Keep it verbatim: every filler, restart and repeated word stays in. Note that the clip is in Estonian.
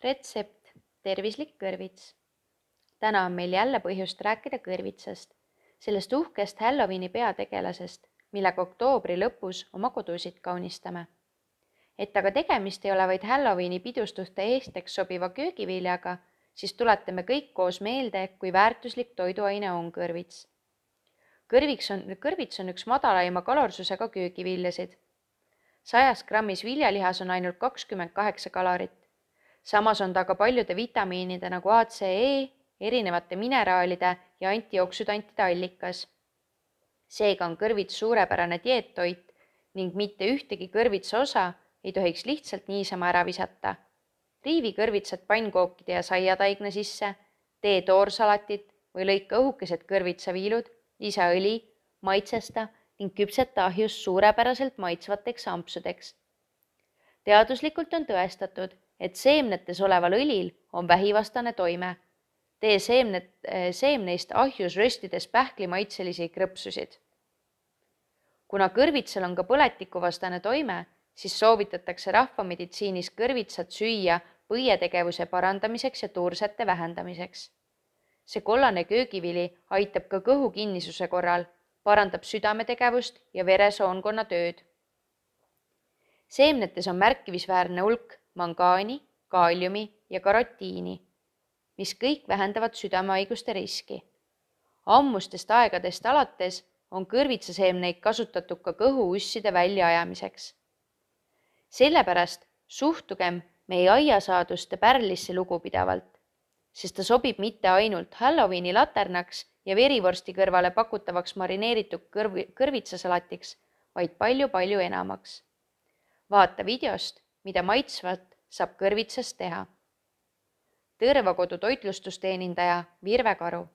Retsept, tervislik kõrvits. Täna on meil jälle põhjust rääkida kõrvitsast, sellest uhkest Halloweeni peategelasest, millega oktoobri lõpus oma kodusid kaunistame. Et aga tegemist ei ole vaid Halloweeni pidustuste eesteks sobiva köögiviljaga, siis tuletame kõik koos meelde, kui väärtuslik toiduaine on kõrvits. Kõrviks on, kõrvits on üks madalaima kalorsusega köögiviljasid. sajas grammis viljalihas on ainult kakskümmend kaheksa kalorit. Samas on ta ka paljude vitamiinide nagu A, C, E, erinevate mineraalide ja antioksüdantide allikas. Seega on kõrvits suurepärane dieettoit ning mitte ühtegi kõrvitsa osa ei tohiks lihtsalt niisama ära visata. Riivi kõrvitsad pannkookide ja saiataigna sisse, tee toorsalatit või lõika õhukesed kõrvitsaviilud, lisa õli, maitsesta ning küpseta ahjus suurepäraselt maitsvateks ampsudeks. Teaduslikult on tõestatud, et seemnetes oleval õlil on vähivastane toime. Tee seemnet, seemneist ahjus röstides pähklimaitselisi krõpsusid. Kuna kõrvitsal on ka põletikuvastane toime, siis soovitatakse rahvameditsiinis kõrvitsat süüa põietegevuse parandamiseks ja tuursete vähendamiseks. See kollane köögivili aitab ka kõhu kinnisuse korral, parandab südametegevust ja veresoonkonna tööd. Seemnetes on märkimisväärne hulk mangaani, kaaliumi ja karotiini, mis kõik vähendavad südamehaiguste riski. Ammustest aegadest alates on kõrvitsaseemneid kasutatud ka kõhuusside väljaajamiseks. Sellepärast suhtugem meie aiasaaduste pärlisse lugupidavalt, sest ta sobib mitte ainult Halloweeni laternaks ja verivorsti kõrvale pakutavaks marineeritud kõrv- kõrvitsasalatiks, vaid palju-palju enamaks. Vaata videost, mida maitsvat saab kõrvitsast teha. Tõrvakodu toitlustusteenindaja Virve Karu.